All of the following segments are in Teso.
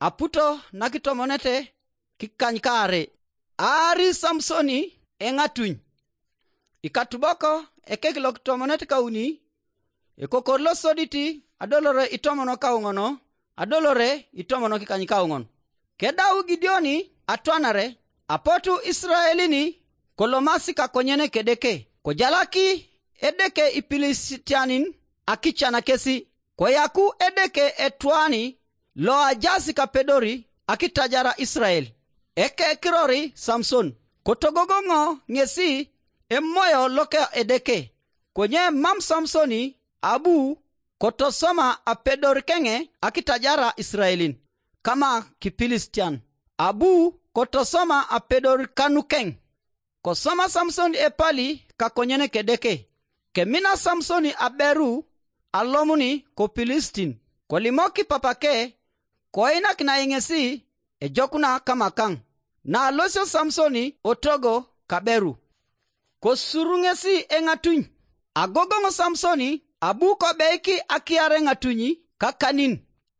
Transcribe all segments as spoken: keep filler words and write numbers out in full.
Aputo nakitomonete kikany kaare. Aari Samsoni eŋatuny. Ikatubok ekek lokitomonet kauni, ekokor losodit adolore itomono kauŋon, adolore itomono kikany kauŋon. Kedau Gideoni atwanare, apotu Israelin kolomasi kakonyen kedeke, kojalaki edeke Ipilistianin akican kesi, koyaku edeke etwani loajaas kapedori akitajara Israel. Ekekirori Samson, kotogogoŋo ŋesi emoyo loka edeke, konye mam Samsoni abu kotosoma apedor keŋe akitajara Israelin kama Kipilistian, abu kotosoma apedor kanukeŋ. Kosoma Samsoni epali kakonyen kedeke. Kemina Samsoni aberu alomuni ko Pilistin, kolimoki papake, koinakinai ŋesi ejokuna kamakaŋ. Naalosio Samsoni otogo kaberu, kosuru ŋesi eŋatuny. Agogoŋ Samsoni abu kobeiki akiar eŋatuny kakanin,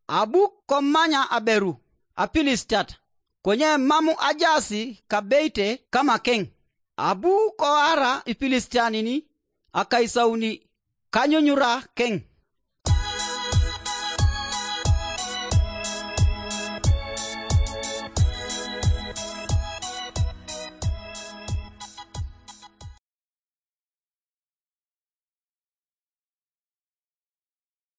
abu komanya aberu Apilistiat, konye mam ajaas kabeite kamakeŋ. Abu koara Ipilistianin akaisauni kanyunyura keŋ.